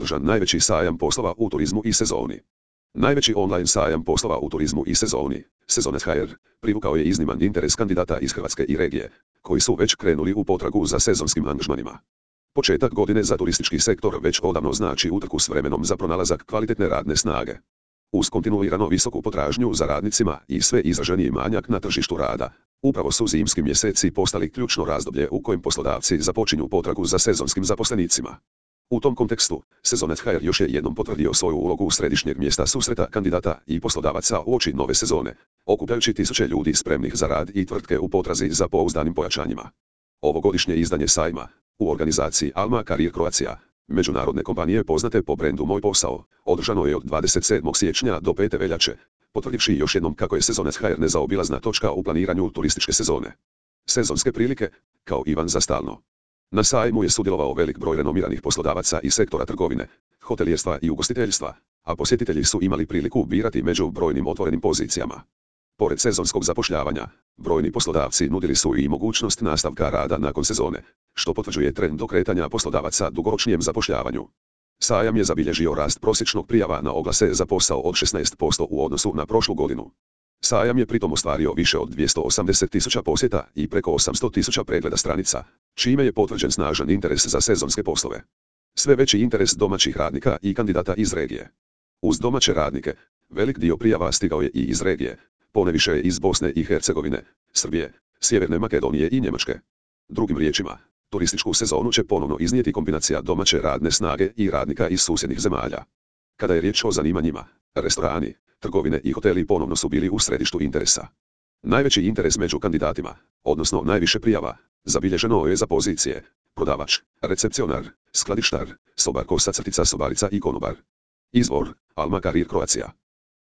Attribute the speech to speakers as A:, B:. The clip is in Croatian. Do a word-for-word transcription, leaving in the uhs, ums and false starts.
A: održan najveći sajam poslova u turizmu i sezoni. Najveći online sajam poslova u turizmu i sezoni, Sezonet ha er, privukao je izniman interes kandidata iz Hrvatske i regije, koji su već krenuli u potragu za sezonskim angažmanima. Početak godine za turistički sektor već odavno znači utrku s vremenom za pronalazak kvalitetne radne snage. Uz kontinuirano visoku potražnju za radnicima i sve izraženiji manjak na tržištu rada, upravo su zimski mjeseci postali ključno razdoblje u kojem poslodavci započinju potragu za sezonskim zaposlenicima. U tom kontekstu, Sezonet ha er još je jednom potvrdio svoju ulogu središnjeg mjesta susreta kandidata i poslodavaca uoči nove sezone, okupljajući tisuće ljudi spremnih za rad i tvrtke u potrazi za pouzdanim pojačanjima. Ovogodišnje izdanje sajma, u organizaciji Alma Career Croatia, međunarodne kompanije poznate po brendu Moj posao, održano je od dvadeset sedmog siječnja do pete veljače, potvrdivši još jednom kako je Sezonet ha er nezaobilazna točka u planiranju turističke sezone. Sezonske prilike, kao Ivan za stalno. Na sajmu je sudjelovao velik broj renomiranih poslodavaca iz sektora trgovine, hotelijerstva i ugostiteljstva, a posjetitelji su imali priliku birati među brojnim otvorenim pozicijama. Pored sezonskog zapošljavanja, brojni poslodavci nudili su i mogućnost nastavka rada nakon sezone, što potvrđuje trend okretanja poslodavaca dugoročnijem zapošljavanju. Sajam je zabilježio rast prosječnog prijava na oglase za posao od šesnaest posto u odnosu na prošlu godinu. Sajam je pritom ostvario više od dvjesto osamdeset tisuća posjeta i preko osamsto tisuća pregleda stranica, čime je potvrđen snažan interes za sezonske poslove. Sve veći interes domaćih radnika i kandidata iz regije. Uz domaće radnike, velik dio prijava stigao je i iz regije, poneviše iz Bosne i Hercegovine, Srbije, Sjeverne Makedonije i Njemačke. Drugim riječima, turističku sezonu će ponovno iznijeti kombinacija domaće radne snage i radnika iz susjednih zemalja. Kada je riječ o zanimanjima, restorani, trgovine i hoteli ponovno su bili u središtu interesa. Najveći interes među kandidatima, odnosno najviše prijava, zabilježeno je za pozicije prodavač, recepcionar, skladištar, sobar kosa crtica sobarica i konobar. Izvor, Alma Career Croatia.